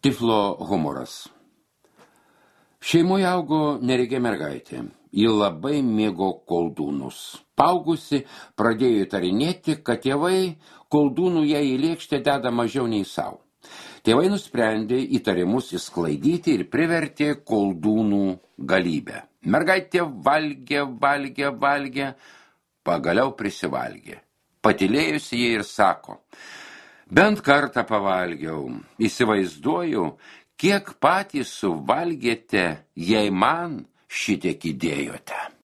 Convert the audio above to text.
Tiflo humoras. Šeimoje augo neregė mergaitė. Ji labai mėgo koldūnus. Paaugusi pradėjo įtarinėti, kad tėvai koldūnų jai į lėkštę deda mažiau nei savo. Tėvai nusprendė įtarimus išsklaidyti ir privertė koldūnų galybę. Mergaitė valgė, pagaliau prisivalgė. Patylėjusi jie ir sako: bent kartą pavalgiau, įsivaizduoju, kiek patys suvalgėte, jei man šitiek įdėjote.